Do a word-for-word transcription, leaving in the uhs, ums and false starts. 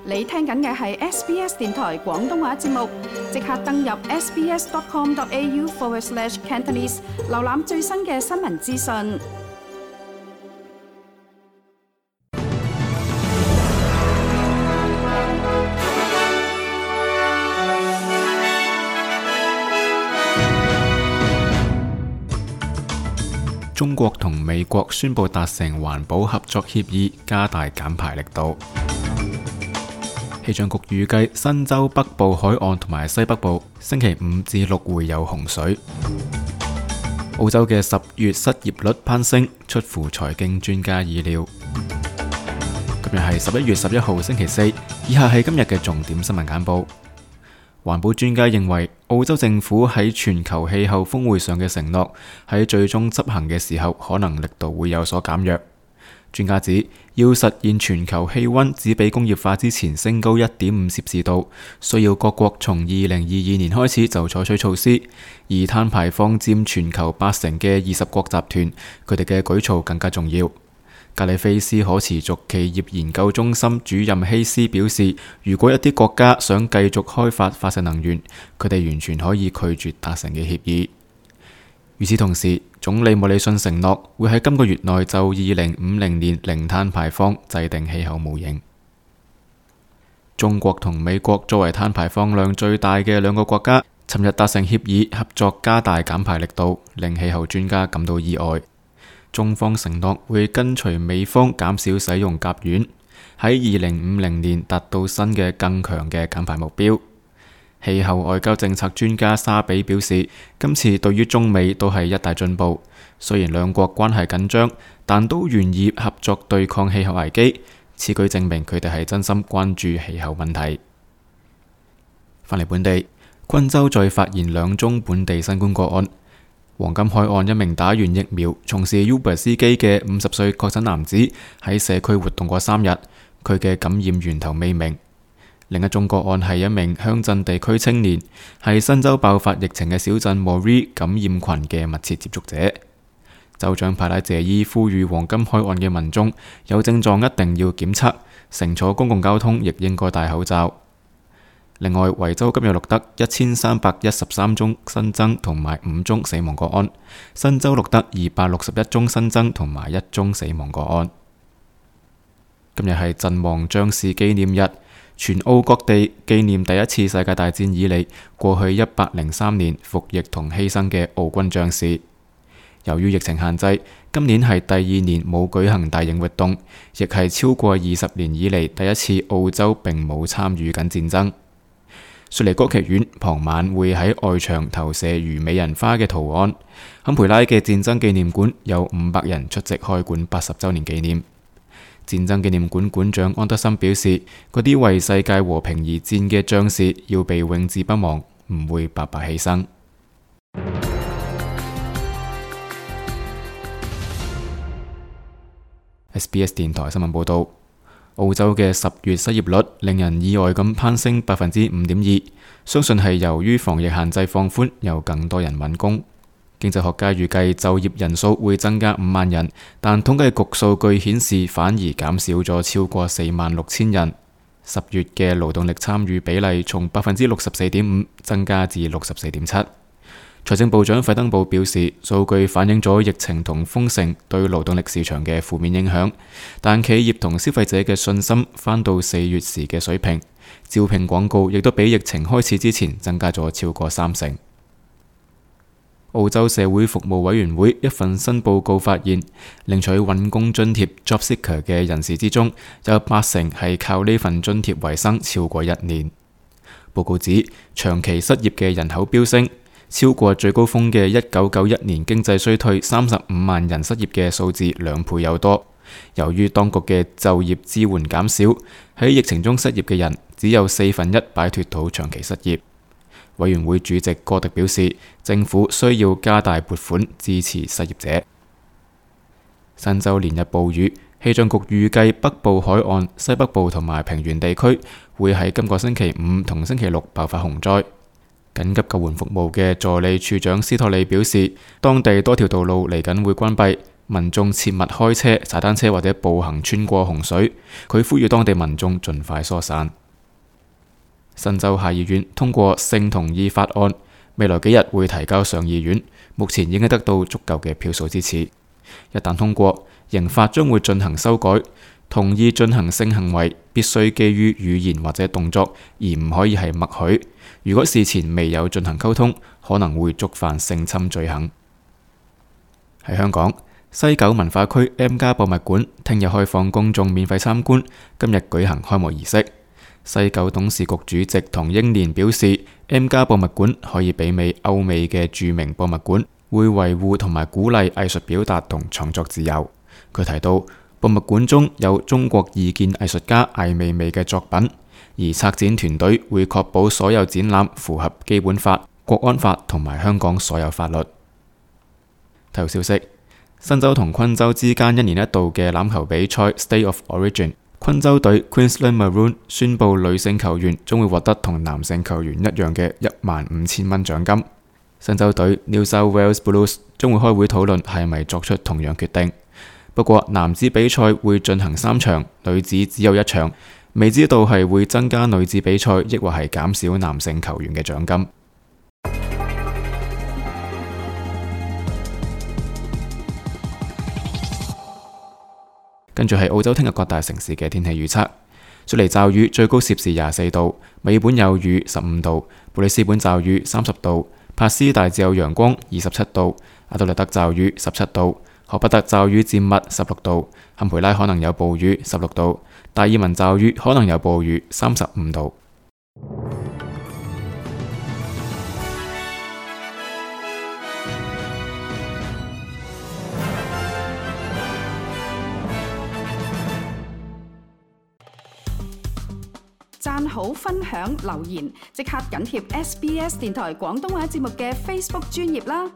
你聽緊嘅係 S B S 電台廣東話節目，即刻登入 sbs.com.au forward slash Cantonese， 瀏覽最新嘅新聞資訊。中國同美國宣布達成環保合作協議，加大減排力度。氣象局預計新州北部海岸同埋西北部星期五至六會有洪水。澳洲嘅十月失業率攀升，出乎財經專家意料。今日係十一月十一號星期四，以下係今日嘅重點新聞簡報。環保專家認為，澳洲政府喺全球氣候峰會上嘅承諾喺最終執行嘅時候，可能力度會有所減弱。專家指，要實現全球氣溫只比工業化之前升高一點五攝氏度，需要各國從二零二二年開始就採取措施。而碳排放佔全球八成嘅二十國集團，佢哋嘅舉措更加重要。格里菲斯可持續企業研究中心主任希斯表示，如果一啲國家想繼續開發化石能源，佢哋完全可以拒絕達成嘅協議。與此同時，總理莫里遜承諾會喺今個月內就二零五零年零碳排放制定氣候模型。中國同美國作為碳排放量最大嘅兩個國家，尋日達成協議，合作加大減排力度，令氣候專家感到意外。中方承諾會跟隨美方減少使用甲烷，喺二零五零年達到新嘅更強嘅減排目標。氣候外交政策專家沙比表示，今次對於中美都係一大進步。雖然兩國關係緊張，但都願意合作對抗氣候危機。此舉證明佢哋係真心關注氣候問題。返嚟本地，昆州再發現兩宗本地新冠個案。黃金海岸一名打完疫苗、從事 Uber 司機嘅五十歲確診男子喺社區活動過三日，佢嘅感染源頭未明。另一宗個案係一名鄉鎮地區青年，係新州爆發疫情嘅小鎮 Moree 感染群嘅密切接觸者。州長派拉謝伊呼籲黃金海岸嘅民眾有症狀一定要檢測，乘坐公共交通亦應該戴口罩。另外，維州今日錄得一千三百一十三宗新增同埋五宗死亡個案，新州錄得二百六十一宗新增同埋一宗死亡個案。今日係陣亡將士紀念日，全澳各地紀念第一次世界大戰以嚟過去一百零三年服役同犧牲嘅澳軍將士。由於疫情限制，今年係第二年冇舉行大型活動，亦係超過二十年以嚟第一次澳洲並冇參與緊戰爭。雪梨歌劇院傍晚會喺外牆投射如美人花嘅圖案。坎培拉嘅戰爭紀念館有五百人出席開館八十週年紀念。戰爭紀念館館長安德森表示，嗰啲為世界和平而戰嘅將士要被永誌不忘，唔會白白犧牲。S B S 電台新聞報道。澳洲嘅十月失業率令人意外咁攀升百分之五點二，相信係由於防疫限制放寬，有更多人揾工。經濟學家預計就業人數會增加五萬人，但統計局數據顯示反而減少咗超過四萬六千人。十月嘅勞動力參與比例從百分之六十四點五增加至六十四點七。財政部長費登堡表示，數據反映咗疫情同封城對勞動力市場嘅負面影響，但企業同消費者嘅信心返到四月時嘅水平，招聘廣告亦都比疫情開始之前增加咗超過三成。澳洲社會服務委員會一份新報告發現，領取揾工津貼 Job Seeker 嘅人士之中，有八成係靠呢份津貼為生超過一年。報告指，長期失業嘅人口飆升，超過最高峰嘅一九九一年經濟衰退三十五萬人失業嘅數字兩倍有多。由於當局嘅就業支援減少，喺疫情中失業嘅人只有四分一擺脫到長期失業。委員會主席戈迪表示，政府需要加大撥款支持失業者。新州連日暴雨，氣象局預計北部海岸、西北部同埋平原地區會喺今個星期五同星期六爆發洪災。緊急救援服務嘅助理處長斯托利表示，當地多條道路嚟緊會關閉，民眾切勿開車、踩單車或者步行穿過洪水。佢呼籲當地民眾盡快疏散。新州下議院通過性同意法案，未來幾日會提交上議院，目前已經得到足夠嘅票數支持。一旦通過，刑法將會進行修改，同意進行性行為必須基於語言或者動作，而唔可以係默許。如果事前未有進行溝通，可能會觸犯性侵罪行。喺香港，西九文化區 M+ 博物館聽日開放公眾免費參觀，今日舉行開幕儀式。西九董事局主席唐英年表示 ，M+ 博物館可以媲美歐美嘅著名博物館，會維護同埋鼓勵藝術表達同創作自由。佢提到，博物館中有中國異見藝術家艾未未嘅作品，而策展團隊會確保所有展覽符合基本法、國安法同埋香港所有法律。體育消息：新州同昆州之間一年一度嘅欖球比賽 State of Origin， 昆州隊 Queensland Maroon 宣布女性球員將會獲得同男性球員一樣嘅一萬五千蚊獎金。新州隊 New South Wales Blues 將會開會討論係咪作出同樣決定。不過男子比賽會進行三場，女子只有一場，未知道係會增加女子比賽，抑或係減少男性球員嘅獎金。跟住係澳洲聽日各大城市嘅天氣預測：雪梨驟雨，最高攝氏廿四度；墨爾本有雨，十五度；布里斯本驟雨，三十度；帕斯大致有陽光，二十七度；阿德萊德驟雨，十七度；荷伯特驟雨漸密，十六度；坎培拉可能有暴雨，十六度；達爾文驟雨可能有暴雨，三十五度。讚好、分享、留言，即刻緊貼 S B S 電台廣東話節目嘅 Facebook 專頁啦！